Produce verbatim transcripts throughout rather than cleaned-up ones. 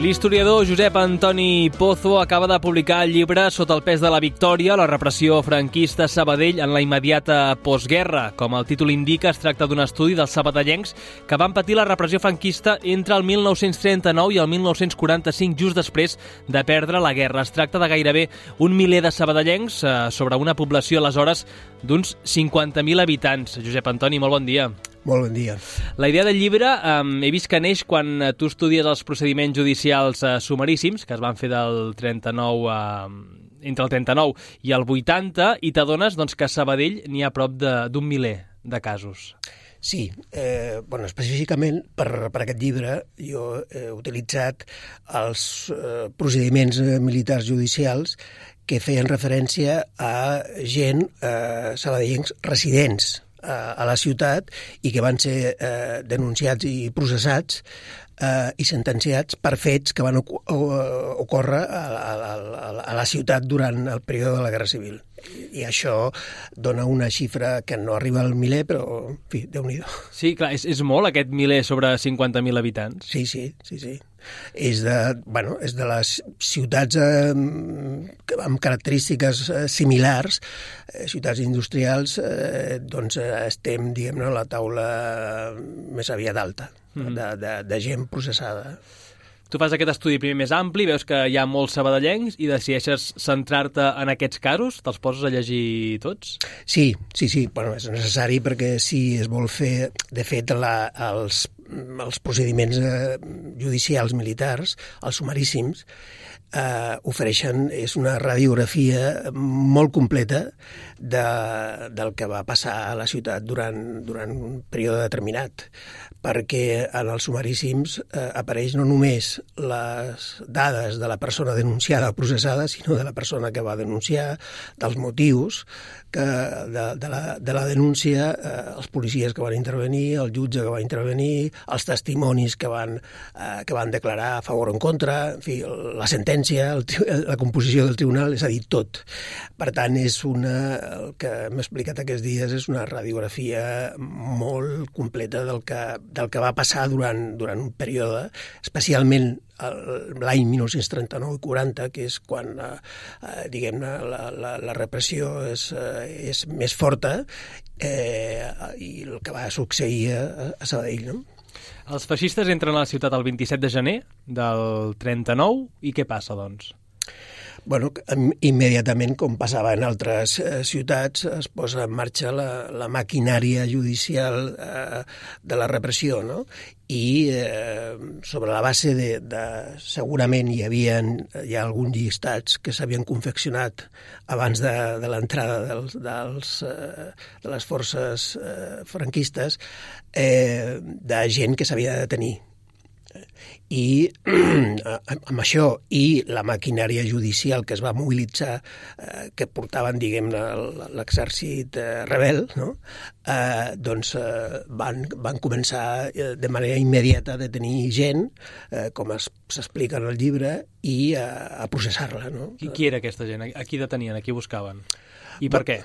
L'historiador Josep Antoni Pozo acaba de publicar el llibre Sota el pes de la victòria, la repressió franquista a Sabadell en la immediata postguerra. Com el títol indica, es tracta d'un estudi dels sabadellencs que van patir la repressió franquista entre el mil nou-cents trenta-nou i el mil nou-cents quaranta-cinc, just després de perdre la guerra. Es tracta de gairebé un miler de sabadellencs eh, sobre una població aleshores d'uns cinquanta mil habitants. Josep Antoni, molt bon dia. Molt bon dia. La idea del llibre eh, he vist que neix quan eh, tu estudies els procediments judicials eh, sumaríssims, que es van fer del trenta-nou a... entre el trenta-nou i el vuitanta, i t'adones doncs, que a Sabadell n'hi ha prop d'un miler de casos. Sí, eh, bueno, específicament per, per aquest llibre jo he utilitzat els eh, procediments militars judicials que feien referència a gent eh, sabadellencs residents a la ciutat i que van ser eh, denunciats i processats eh, i sentenciats per fets que van ocórrer a, a, a, a la ciutat durant el període de la Guerra Civil. I, i això dona una xifra que no arriba al miler, però, en fi, Déu-n'hi-do. Sí, clar, és, és molt aquest miler sobre cinquanta mil habitants. Sí, sí, sí, sí. És de, bueno, és de les ciutats eh, amb característiques eh, similars, eh, ciutats industrials, eh, doncs eh, estem, diguem-ne, a la taula més aviat alta mm. de, de, de gent processada. Tu fas aquest estudi primer més ampli, veus que hi ha molts sabadellencs i decideixes centrar-te en aquests casos? Te'ls poses a llegir tots? Sí, sí, sí. Bueno, és necessari perquè si es vol fer, de fet, la, els, els procediments eh, judicials militars, els sumaríssims, eh, ofereixen, és una radiografia molt completa de, del que va passar a la ciutat durant, durant un període determinat, perquè en els sumaríssims eh, apareix no només les dades de la persona denunciada o processada, sinó de la persona que va denunciar, dels motius que de, de, la, de la denúncia, eh, els policies que van intervenir, el jutge que va intervenir, els testimonis que van, eh, que van declarar a favor o en contra, en fi, la sentència, el, la composició del tribunal, és a dir, tot. Per tant, és una, el que m'he explicat aquests dies és una radiografia molt completa del que del que va passar durant, durant un període, especialment l'any mil nou-cents trenta-nou i quaranta, que és quan eh, diguem-ne, la, la, la repressió és, eh, és més forta eh, i el que va succeir a, a Sabadell, no? Els feixistes entren a la ciutat el vint-i-set de gener del trenta-nou i què passa, doncs? Bueno, immediatament, com passava en altres eh, ciutats, es posa en marxa la, la maquinària judicial eh, de la repressió, no? I eh, sobre la base de, de... Segurament hi havia hi ha alguns llistats que s'havien confeccionat abans de, de l'entrada dels, dels, eh, de les forces eh, franquistes eh, de gent que s'havia de detenir. I amb això i la maquinària judicial que es va mobilitzar, eh, que portaven, diguem-ne, l'exèrcit eh, rebel, no? eh, doncs eh, van, van començar eh, de manera immediata a detenir gent, eh, com s'explica en el llibre, i a, a processar-la. No? Qui, qui era aquesta gent? A qui detenien? A qui buscaven? I per què?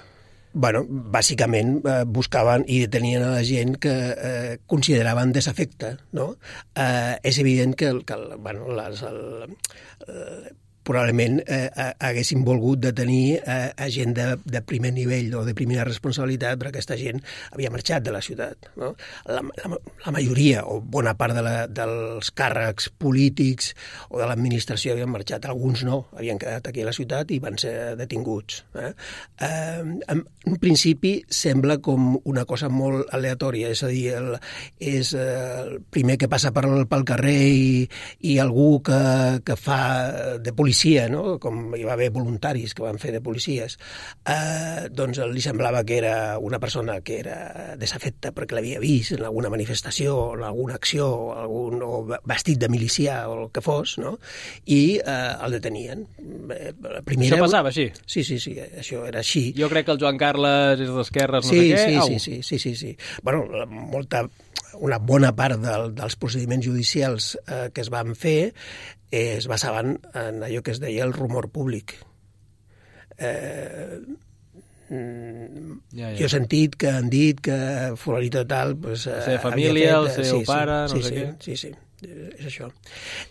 Bueno, bàsicament eh, buscaven i detenien a la gent que eh, consideraven desafecte, no? Eh, és evident que, el, que el, bueno, les, el, el, probablement eh, haguessin volgut detenir eh, a gent de, de primer nivell o de primera responsabilitat, però aquesta gent havia marxat de la ciutat. No? La, la, la majoria o bona part de la, dels càrrecs polítics o de l'administració havien marxat, alguns no, havien quedat aquí a la ciutat i van ser detinguts. Eh? Eh, en un principi sembla com una cosa molt aleatòria, és a dir, el, és eh, el primer que passa per, pel carrer i, i algú que, que fa de policia, no? Com hi va haver voluntaris que van fer de policies, eh, doncs li semblava que era una persona que era desafecta perquè l'havia vist en alguna manifestació, en alguna acció, o, algun, o vestit de milicià o el que fos, no? I eh, el detenien. Eh, primera... Això passava així? Sí, sí, sí, això era així. Jo crec que el Joan Carles és d'esquerres, no sí, sé què. Sí, sí, sí, sí, sí, sí. Bueno, molta... una bona part del, dels procediments judicials eh, que es van fer eh, es basaven en allò que es deia el rumor públic. Eh, ja, ja. Jo he sentit que han dit que fulanito tal... Pues, la seva família, fet, el seu sí, pare, sí, no sí, sé sí, què. Sí, sí. és això.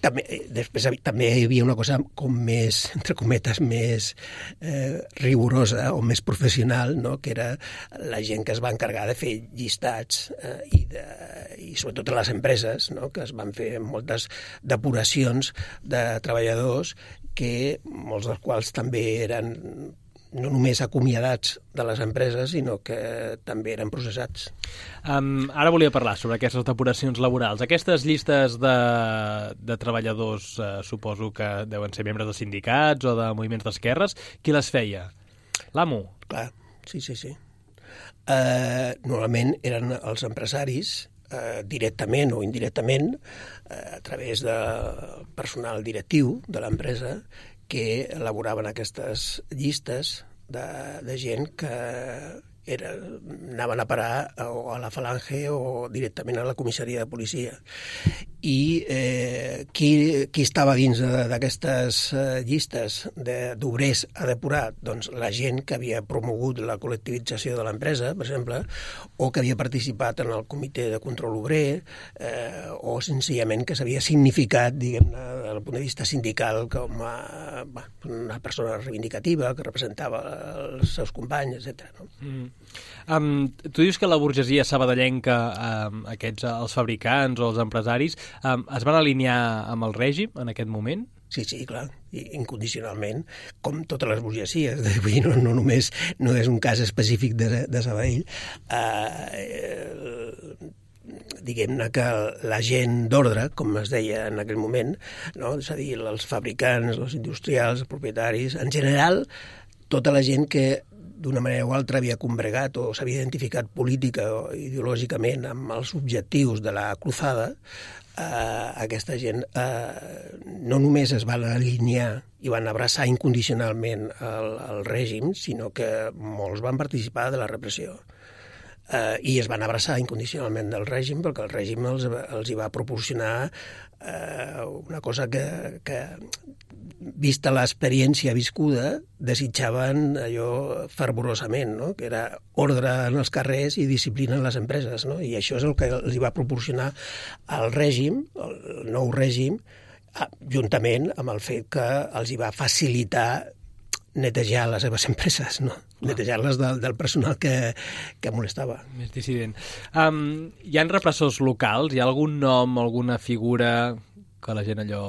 També, després també hi havia una cosa com més, entre cometes, més eh, rigorosa o més professional, no? Que era la gent que es va encarregar de fer llistats eh, i, de, i sobretot a les empreses, no? Que es van fer moltes depuracions de treballadors que molts dels quals també eren no només acomiadats de les empreses, sinó que també eren processats. Um, ara volia parlar sobre aquestes depuracions laborals. Aquestes llistes de, de treballadors, uh, suposo que deuen ser membres de sindicats o de moviments d'esquerres. Qui les feia? L'amo? Clar, sí, sí, sí. Uh, normalment eren els empresaris, uh, directament o indirectament, uh, a través del personal directiu de l'empresa, que elaboraven aquestes llistes de, de gent que era, anaven a parar o a la Falange o directament a la comissaria de policia. I eh, qui, qui estava dins d'aquestes eh, llistes d'obrers a depurar? Doncs la gent que havia promogut la col·lectivització de l'empresa, per exemple, o que havia participat en el comitè de control obrer, eh, o senzillament que s'havia significat, diguem-ne, des del punt de vista sindical, com a, bah, una persona reivindicativa que representava els seus companys, etcètera. No? Mm. Um, tu dius que la burgesia sabadellenca, um, aquests, els fabricants o els empresaris, um, es van alinear amb el règim en aquest moment? Sí, sí, clar, i incondicionalment, com totes les burgesies. Vull dir, no, no només no és un cas específic de, de Sabadell. Eh, eh, diguem-ne que la gent d'ordre, com es deia en aquell moment, no? És a dir, els fabricants, els industrials, els propietaris, en general, tota la gent que d'una manera o altra havia combregat o s'havia identificat política o ideològicament amb els objectius de la cruzada, eh, aquesta gent eh, no només es van alinear i van abraçar incondicionalment el, el règim, sinó que molts van participar de la repressió. Eh, I es van abraçar incondicionalment del règim perquè el règim els, els hi va proporcionar eh, una cosa que, que vista l'experiència viscuda, desitjaven allò fervorosament, no? Que era ordre en els carrers i disciplina en les empreses, no? I això és el que els va proporcionar el règim, el nou règim, juntament amb el fet que els hi va facilitar netejar les seves empreses, no? Netejar-les del, del personal que, que molestava. Més dissident. Um, hi ha repressors locals? Hi ha algun nom, alguna figura que la gent allò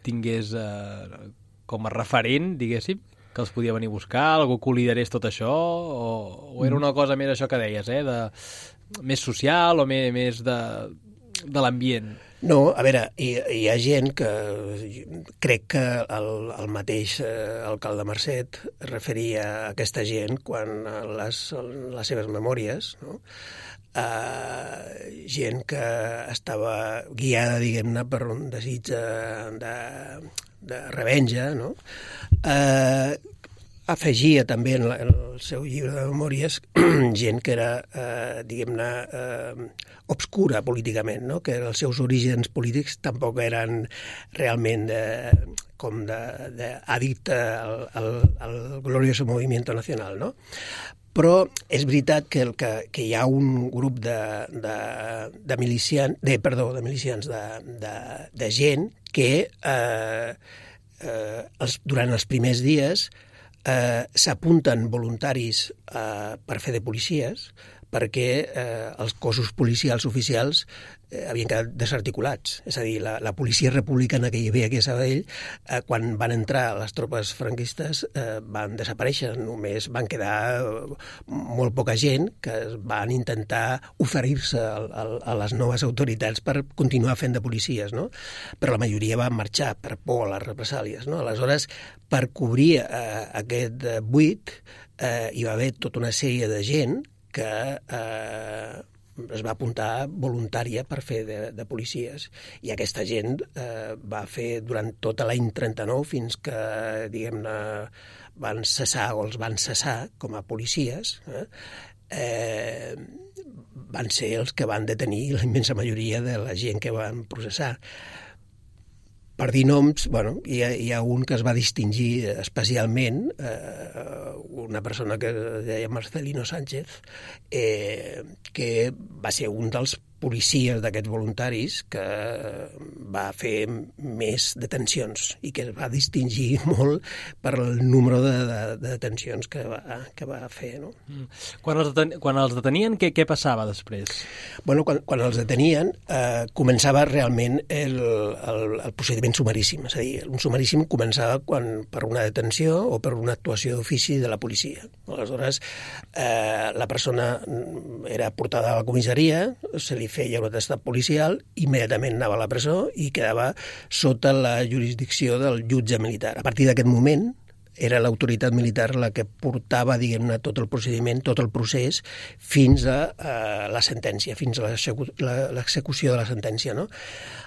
tingués eh, com a referent, diguéssim, que els podia venir a buscar, algú que ho liderés tot això, o, o era una cosa més això que deies, eh, de, més social o més, més de, de l'ambient? No, a veure, hi, hi ha gent que crec que el, el mateix eh, alcalde Marcet referia a aquesta gent quan les, les seves memòries, no? Uh, gent que estava guiada, diguem-ne, per un desig de, de, de revenja, no? Uh, afegia també en, la, en el seu llibre de memòries gent que era, uh, diguem-ne, uh, obscura políticament, no? Que els seus orígens polítics tampoc eren realment de, com d'addicte al, al, al glorioso movimiento nacional, no? Però és veritat que, el, que, que hi ha un grup de, de, de milicians, de, perdó, de milicians, de, de, de gent que eh, eh, els, durant els primers dies eh, s'apunten voluntaris eh, per fer de policies perquè eh, els cossos policials oficials eh, havien quedat desarticulats. És a dir, la, la policia republicana que hi havia aquí a Sabadell, eh, quan van entrar les tropes franquistes, eh, van desaparèixer. Només van quedar molt poca gent que van intentar oferir-se a, a, a les noves autoritats per continuar fent de policies, no? Però la majoria van marxar per por a les represàlies, no? Aleshores, per cobrir eh, aquest buit, eh, hi va haver tota una sèrie de gent que eh, es va apuntar voluntària per fer de, de policies. I aquesta gent eh, va fer durant tot l'any trenta-nou fins que, diguem-ne, van cessar o els van cessar com a policies, eh, eh, van ser els que van detenir la immensa majoria de la gent que van processar. Per dir noms, bueno, hi ha, hi ha un que es va distingir especialment, eh, una persona que es deia Marcelino Sánchez, eh, que va ser un dels policies d'aquests voluntaris que va fer més detencions i que es va distingir molt per el número de, de, de detencions que va, que va fer. No? Mm. Quan, els deten, quan els detenien, què, què passava després? Bueno, quan, quan els detenien eh, començava realment el, el, el procediment sumaríssim. És a dir, un sumaríssim començava quan, per una detenció o per una actuació d'ofici de la policia. Aleshores, eh, la persona era portada a la comissaria, se li feia un atestat policial, immediatament anava a la presó i quedava sota la jurisdicció del jutge militar. A partir d'aquest moment era l'autoritat militar la que portava, diguem-ne, tot el procediment, tot el procés, fins a, a la sentència, fins a l'execució de la sentència. No?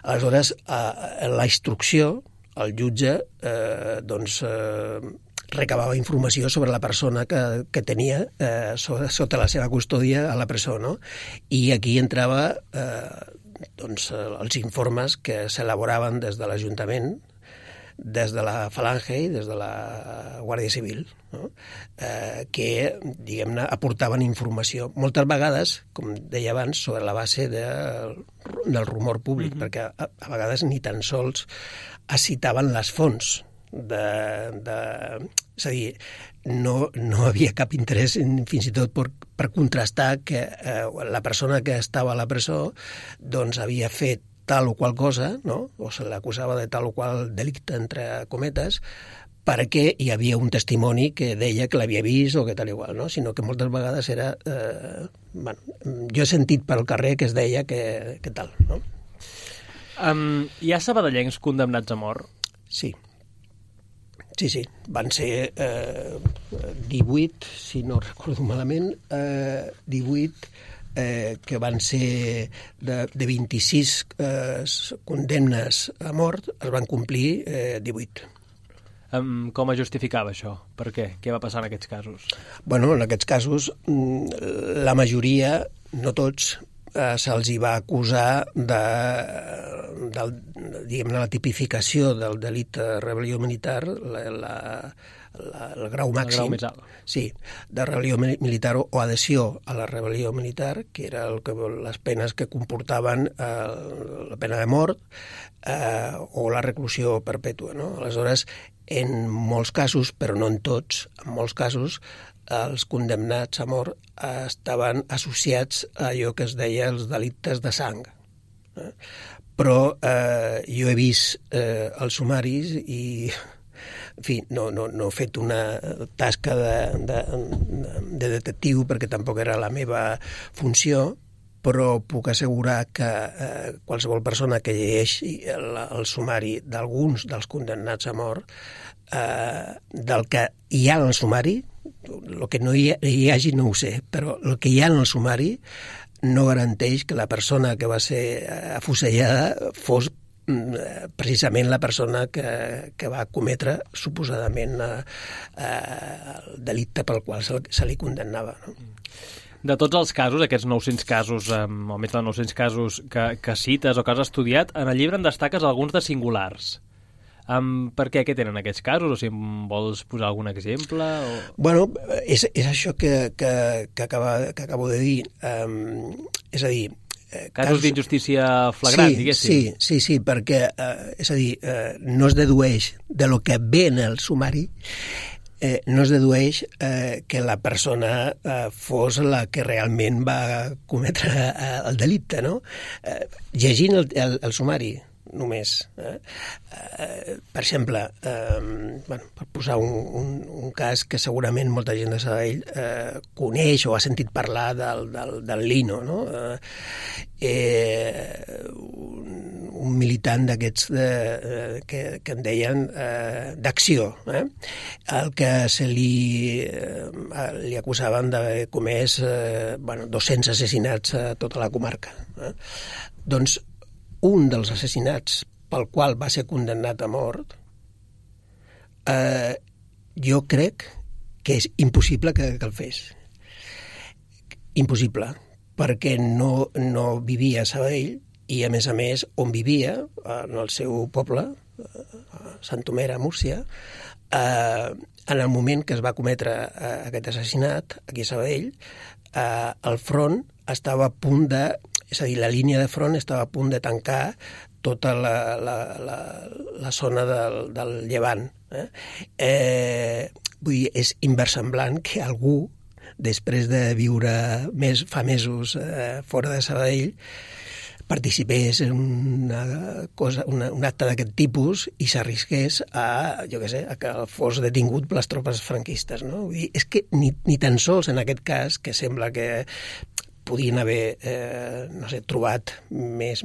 Aleshores, a, a la instrucció, el jutge eh, doncs, eh, recabava informació sobre la persona que, que tenia eh, sota, sota la seva custòdia a la presó, no? I aquí entrava eh, doncs, els informes que s'elaboraven des de l'Ajuntament, des de la Falange i des de la Guàrdia Civil, no? eh, que, diguem-ne, aportaven informació. Moltes vegades, com deia abans, sobre la base de, del rumor públic, mm-hmm. perquè a, a vegades ni tan sols es citaven les fonts. De, de, és a dir, no, no havia cap interès fins i tot per, per contrastar que eh, la persona que estava a la presó doncs havia fet tal o qual cosa, no? O se l'acusava de tal o qual delicte, entre cometes, perquè hi havia un testimoni que deia que l'havia vist o que tal igual, no? Sinó que moltes vegades era... Eh, bueno, jo he sentit pel carrer que es deia que, que tal, no? Um, hi ha sabadellencs condemnats a mort? Sí. Sí, sí, van ser eh, divuit, si no recordo malament, eh, divuit eh, que van ser de, de vint-i-sis eh, condemnes a mort, es van complir eh, divuit. Um, com es justificava això? Per què? Què va passar en aquests casos? Bueno, en aquests casos, la majoria, no tots, eh, se'ls hi va acusar de, de, diguem-ne, la tipificació del delicte de rebel·lió militar, la, la, la, el grau màxim. El grau més alt. Sí, de rebel·lió militar o, o adhesió a la rebel·lió militar, que era el que, les penes que comportaven eh, la pena de mort eh, o la reclusió perpètua. No? Aleshores, en molts casos, però no en tots, en molts casos, els condemnats a mort estaven associats a allò que es deia els delictes de sang. Eh? Però eh, jo he vist eh, els sumaris i, en fi, no, no, no he fet una tasca de, de, de detectiu perquè tampoc era la meva funció, però puc assegurar que eh, qualsevol persona que llegeixi el, el sumari d'alguns dels condemnats a mort, eh, del que hi ha en el sumari, el que no hi, hi hagi no ho sé, però el que hi ha en el sumari no garanteix que la persona que va ser afusellada fos precisament la persona que, que va cometre suposadament eh, el delicte pel qual se, se li condemnava. No? De tots els casos, aquests nou-cents casos, o més de nou-cents casos que, que cites o que has estudiat, en el llibre en destaques alguns de singulars. Um, per què? Què tenen aquests casos? O si em vols posar algun exemple? O... Bueno, és, és això que, que, que, acaba, que acabo de dir. Um, és a dir... Eh, casos, casos d'injustícia flagrant, sí, diguéssim. Sí, sí, sí, perquè, eh, és a dir, eh, no es dedueix de lo que ve en el sumari, eh, no es dedueix eh, que la persona eh, fos la que realment va cometre eh, el delicte, no? Eh, llegint el, el, el sumari, només. Eh? Eh, per exemple, eh, bueno, per posar un, un, un cas que segurament molta gent de Sabadell eh, coneix o ha sentit parlar del, del, del Lino, no? Eh, eh, un, un militant d'aquests eh, que, que en deien eh, d'acció, eh? el que se li, eh, li acusaven d'haver comès eh, bueno, dos-cents assassinats a tota la comarca. Eh? Doncs un dels assassinats pel qual va ser condemnat a mort, eh, jo crec que és impossible que, que el fes. Impossible, perquè no, no vivia a Sabadell i, a més a més, on vivia, en el seu poble, a Sant Omer, a Múrcia, eh, en el moment que es va cometre eh, aquest assassinat, aquí a Sabadell, eh, el front estava a punt de és a dir, la línia de front estava a punt de tancar tota la, la, la, la zona del, del Llevant. Eh? Eh, vull dir, és inversemblant que algú, després de viure més, fa mesos eh, fora de Sabadell, participés en una cosa, una, un acte d'aquest tipus i s'arrisqués a, jo què sé, a que fos detingut per les tropes franquistes, no? Vull dir, és que ni, ni tan sols en aquest cas, que sembla que podien haver, eh, no sé, trobat més,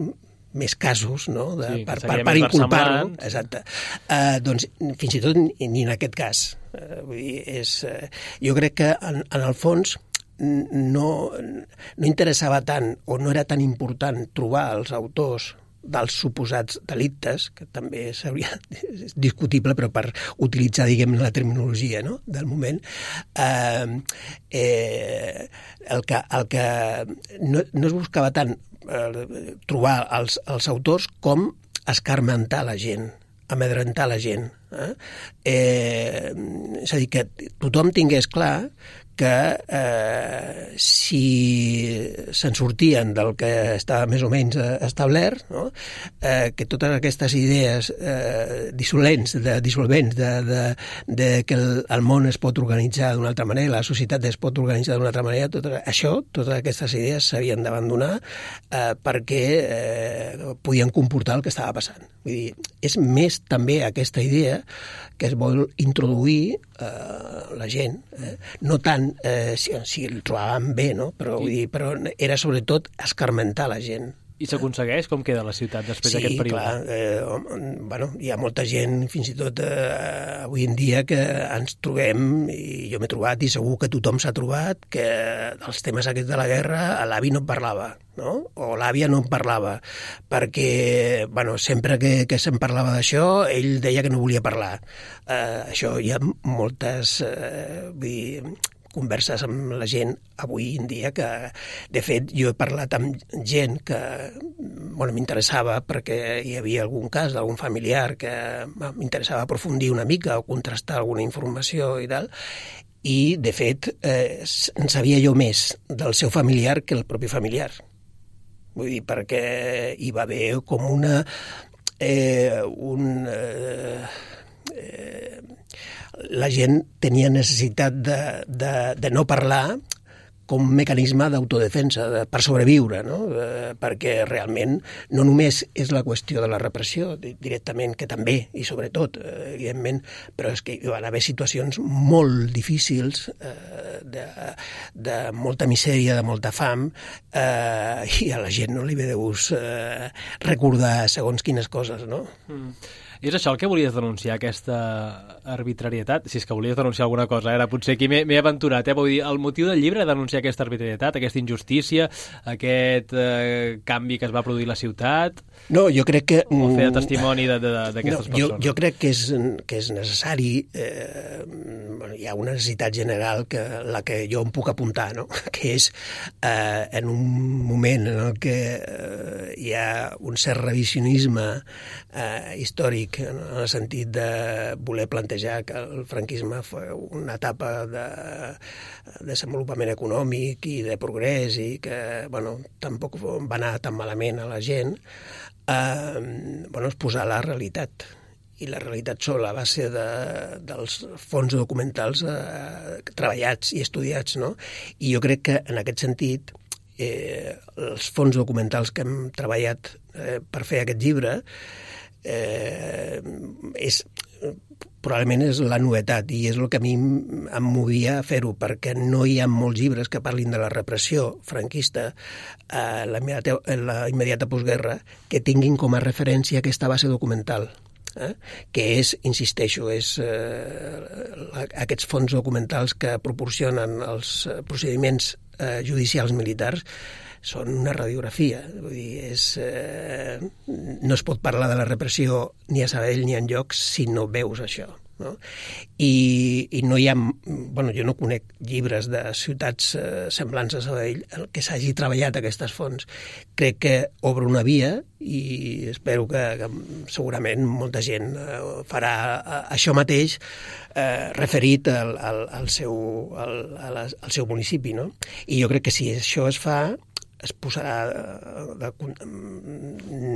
més casos, no?, de, sí, per, per, per inculpar-lo. Exacte. Uh, doncs, fins i tot ni, ni en aquest cas. Uh, vull dir, és, uh, jo crec que, en, en el fons, no, no interessava tant o no era tan important trobar els autors dels suposats delictes, que també seria discutible, però per utilitzar, diguem, la terminologia, no?, del moment, eh, eh, el que, el que no, no es buscava tant eh, trobar els, els autors com escarmentar la gent, amedrentar la gent. Eh? Eh, és a dir, que tothom tingués clar que eh, si se'n sortien del que estava més o menys establert, no? eh, que totes aquestes idees eh, dissolents, de, dissolvents de, de, de que el, el món es pot organitzar d'una altra manera, la societat es pot organitzar d'una altra manera, tot això, totes aquestes idees s'havien d'abandonar eh, perquè eh, podien comportar el que estava passant. Vull dir, és més també aquesta idea que es vol introduir eh, la gent, eh? No tant eh, si, si el trobaven bé, no? Però, vull dir, però era sobretot escarmentar la gent. I s'aconsegueix? Com queda la ciutat després sí, d'aquest període? Sí, clar. Eh, bueno, hi ha molta gent, fins i tot eh, avui en dia, que ens trobem, i jo m'he trobat, i segur que tothom s'ha trobat, que dels temes aquests de la guerra l'avi no en parlava, no? O l'àvia no en parlava, perquè bueno, sempre que, que se'n parlava d'això, ell deia que no volia parlar. Eh, això hi ha moltes... Eh, vull dir, converses amb la gent avui en dia que, de fet, jo he parlat amb gent que bueno, m'interessava perquè hi havia algun cas d'algun familiar que m'interessava aprofundir una mica o contrastar alguna informació i tal, i, de fet, eh, en sabia jo més del seu familiar que el propi familiar. Vull dir, perquè hi va haver com una... Eh, un... Eh, eh, la gent tenia necessitat de, de, de no parlar com un mecanisme d'autodefensa, de, per sobreviure, no? Eh, perquè realment no només és la qüestió de la repressió, directament, que també, i sobretot, eh, evidentment, però és que hi van haver situacions molt difícils, eh, de, de molta misèria, de molta fam, eh, i a la gent no li ve de gust eh, recordar segons quines coses, no? Mm. I és això el que volies denunciar, aquesta arbitrarietat? Si és que volies denunciar alguna cosa, ara potser aquí m'he aventurat, eh? Vull dir, el motiu del llibre és denunciar aquesta arbitrarietat, aquesta injustícia, aquest eh, canvi que es va produir a la ciutat... No, jo crec que... O fer de testimoni d'aquestes no, persones? Jo, jo crec que és, que és necessari, eh, bueno, hi ha una necessitat general, que la que jo em puc apuntar, no? Que és eh, en un moment en el que eh, hi ha un cert revisionisme eh, històric, en el sentit de voler plantejar que el franquisme fue una etapa de desenvolupament econòmic i de progrés i que, bueno, tampoc va anar tan malament a la gent, eh, bueno, és posar la realitat. I la realitat sobre la base de, dels fons documentals eh, treballats i estudiats, no? I jo crec que, en aquest sentit, eh, els fons documentals que hem treballat eh, per fer aquest llibre Eh, és, probablement és la novetat i és el que a mi em movia a fer-ho, perquè no hi ha molts llibres que parlin de la repressió franquista a la immediata, en la immediata postguerra que tinguin com a referència aquesta base documental. Eh? Que és, insisteixo, és eh, aquests fons documentals que proporcionen els procediments eh, judicials militars són una radiografia. Vull dir, és, eh, no es pot parlar de la repressió ni a Sabadell ni enlloc si no veus això. No? I, i no hi ha... Bueno, jo no conec llibres de ciutats eh, semblants a Sabadell en què s'hagi treballat aquestes fonts. Crec que obre una via i espero que, que segurament molta gent eh, farà eh, això mateix eh, referit al, al, al, seu, al, al seu municipi. No? I jo crec que si això es fa, es posarà de, de,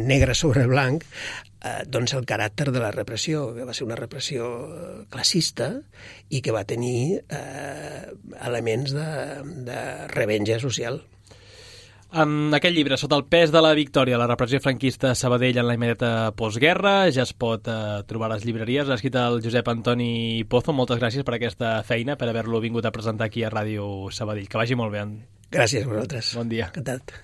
negre sobre blanc eh, doncs el caràcter de la repressió, que va ser una repressió classista i que va tenir eh, elements de, de revenja social. En aquest llibre, Sota el pes de la victòria, la repressió franquista a Sabadell en la immediata postguerra, ja es pot eh, trobar a les llibreries. L'ha escrit el Josep Antoni Pozo. Moltes gràcies per aquesta feina, per haver-lo vingut a presentar aquí a Ràdio Sabadell. Que vagi molt bé. Gràcies a vosaltres. Bon dia. Encantat.